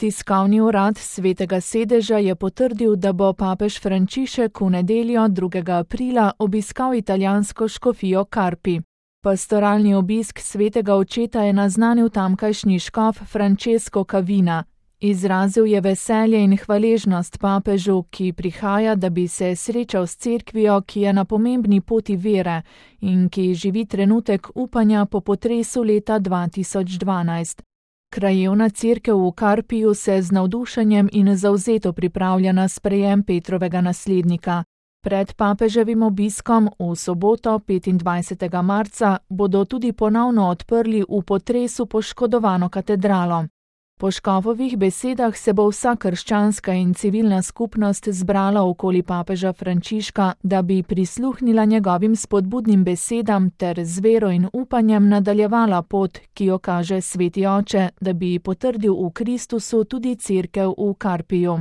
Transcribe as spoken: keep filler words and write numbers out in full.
Tiskovni urad Svetega sedeža je potrdil, da bo papež Frančišek v nedeljo drugega aprila obiskal italijansko škofijo Carpi. Pastoralni obisk svetega očeta je naznanil tamkajšnji škof Francesco Cavina. Izrazil je veselje in hvaležnost papežu, ki prihaja, da bi se srečal s cerkvijo, ki je na pomembni poti vere in ki živi trenutek upanja po potresu leta dva tisoč dvanajst. Krajevna cerkev v Carpiju se z navdušenjem in zavzeto pripravlja na sprejem Petrovega naslednika. Pred papeževim obiskom v soboto petindvajsetega marca bodo tudi ponovno odprli v potresu poškodovano katedralo. Po škofovih besedah se bo vsa krščanska in civilna skupnost zbrala okoli papeža Frančiška, da bi prisluhnila njegovim spodbudnim besedam ter z vero in upanjem nadaljevala pot, ki jo kaže sveti oče, da bi potrdil v Kristusu tudi cerkev v Carpiju.